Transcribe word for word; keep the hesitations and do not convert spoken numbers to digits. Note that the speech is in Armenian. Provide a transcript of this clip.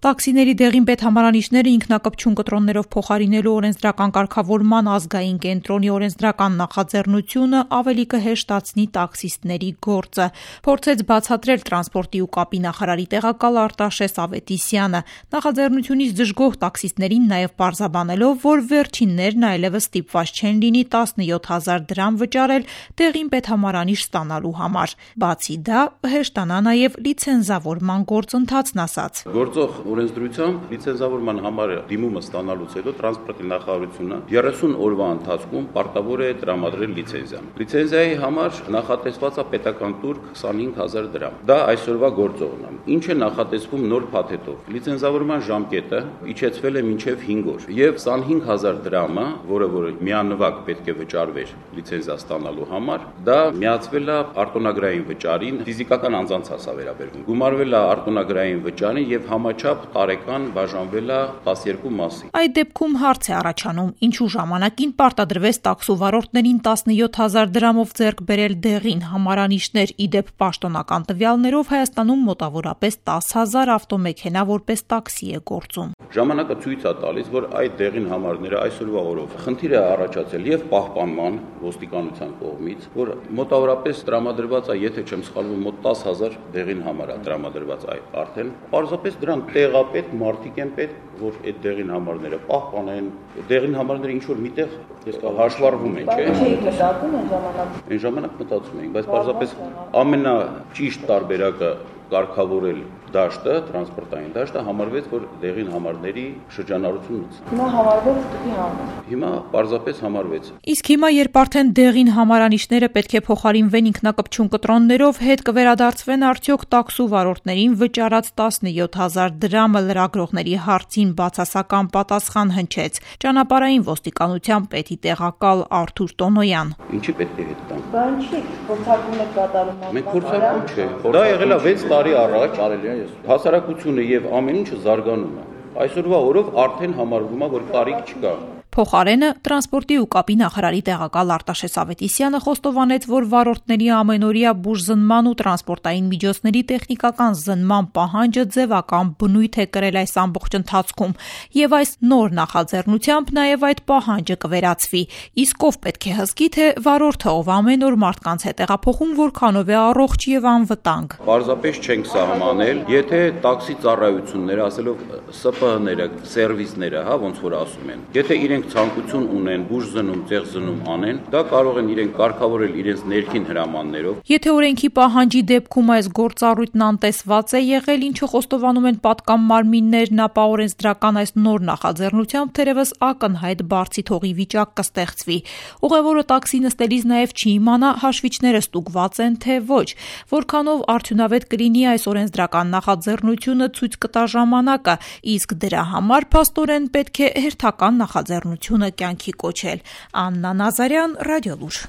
Տաքսիների դեղին պետհամարանիշները ինքնակպչուն կտրոններով փոխարինելու օրենսդրական կարգավորման ազգային կենտրոնի օրենսդրական նախաձեռնությունը ավելի կհեշտացնի տաքսիստների գործը, փորձեց բացատրել տրանսպորտի ու կապի նախարարի տեղակալ Արտաշես Ավետիսյանը, նախաձեռնությունից դժգոհ տաքսիստներին նաև պարզաբանելով, որ վերջիններն այլևս ստիպված չեն լինի տասնյոթ հազար դրամ վճարել դեղին պետհամարանիշ ստանալու համար։ Բացի դա, հեշտանա նաև լիցենզավորման գործընթացն ասաց. Գործող օրենսդրությամբ լիցենզավորման համար դիմումը ստանալուց հետո տրանսպորտի նախարարությունը երեսուն օրվա ընթացքում պարտավոր է տրամադրել լիցենզիան։ Լիցենզիայի համար նախատեսված է պետական տուր քսանհինգ հազար դրամ։ Դա այսօրվա գործողն է։ Ինչ է նախատեսվում նոր փաթեթով։ Լիցենզավորման ժամկետը իջեցվել է մինչև հինգ օր եւ քսանհինգ հազար դրամը, որը որ միանվագ պետք է վճարվեր լիցենզիա ստանալու համար, դա միացվել է արտոնագրային վճարին, ֆիզիկական անձանց հասա վերաբերվում։ Գումարվել է արտոնագրային վճարին եւ համաչափ տարեկան բաժանվել է տասներկու մասի։ Այդ դեպքում հարց է առաջանում, ինչու ժամանակին պարտադրվեց տաքսու վարորդներին տասնյոթ հազար դրամով ձեռք բերել դեղին համարանիշներ, ի դեպ պաշտոնական տվյալներով Հայաստանում մոտավորապես տասը հազար ավտոմեքենա որպես տաքսի է գործում։ Ժամանակը ցույց է տալիս, որ այդ դեղին համարները այսօրվա օրով խնդիր է առաջացել եւ պահպանման ոստիկանության կողմից, որ մոտավորապես տրամադրված է, եթե չեմ սխալվում, մոտ տասը հազար դեղին համար է տրամադրված այդ արդեն։ Պարզապես դրանք տեղապետ մարդիկ են պետք, որ այդ դեղին համարները պահպանեն, դեղին համարները ինչ որ միտեղ հաշվառվում են, չէ՞։ Չէիք մտածում այն ժամանակ։ Այն ժամանակ մտածում էինք, բայց պարզապես ամենաճիշտ տարբերակը կարգավորել դաշտը, տրանսպորտային դաշտը համարվեց, որ դեղին համարների շրջանառությունից։ Հիմա համարվեց դեպի համար։ Հիմա պարզապես համարվեց։ Իսկ հիմա, երբ արդեն դեղին համարանիշները պետք է փոխարինվեն ինքնակպչուն կտրոններով, հետ կվերադարձվեն արդյոք տաքսու վարորդներին վճարած տասնյոթ հազար դրամը լրագրողների հարցին բացասական պատասխան հնչեց ճանապարհային ոստիկանության պետի տեղակալ Արթուր Տոնոյան։ Ինչի պետք է հետ տանք։ Բան չի, փորձարկում եք կատարում։ Մենք փորձարկում չէ։ Դա եղել է վեց տարի առաջ, արելի է։ Հասարակությունը եւ ամեն ինչը զարգանում է։ Այսօրվա օրով արդեն համարվում է, որ կարիք չկա։ Փոխարենը տրանսպորտի ու կապի նախարարի տեղակալ Արտաշես Ավետիսյանը խոստովանեց, որ վարորդների ամենօրյա բուժզնման ու տրանսպորտային միջոցների տեխնիկական զննման պահանջը ձևական բնույթ է կրել այս ամբողջ ընթացքում եւ այս նոր նախաձեռնությամբ նաեւ այդ պահանջը կվերացվի։ Իսկ ով պետք է հսկի, թե վարորդը, ով ամեն օր մարդկանց հետ տեղափոխում, որքանով է առողջ եւ անվտանգ։ Պարզապես չենք սահմանել, եթե տաքսի ծառայությունները, ասելով Ս Պ Հ-ները, սերվիսները, հա, ոնց որ ասում են, եթե իրենք ցանկություն ունեն բուժզնում, ծեղզնում անեն, դա կարող են իրենք կարգավորել իրենց ներքին հրամաններով։ Եթե օրենքի պահանջի դեպքում այս գործառույթն անտեսված է եղել, ինչը խոստովանում են պատկան մարմիններն, ապա օրենսդրական այս նոր նախաձեռնությամբ թերևս ակնհայտ բարձի թողի վիճակ կստեղծվի։ Ուղևորը տաքսի նստելիս նաև չի իմանա հաշվիչները ստուգված են, թե ոչ, որքանով արդյունավետ կլինի այս օրենսդրական նախաձեռնությունը ցույց կտա ժամանակը, իսկ դրա համար փաստորեն պետք է հերթական նախաձեռնությունը կյանքի կոչել։ Աննա Նազարյան, Ռադիոլուր։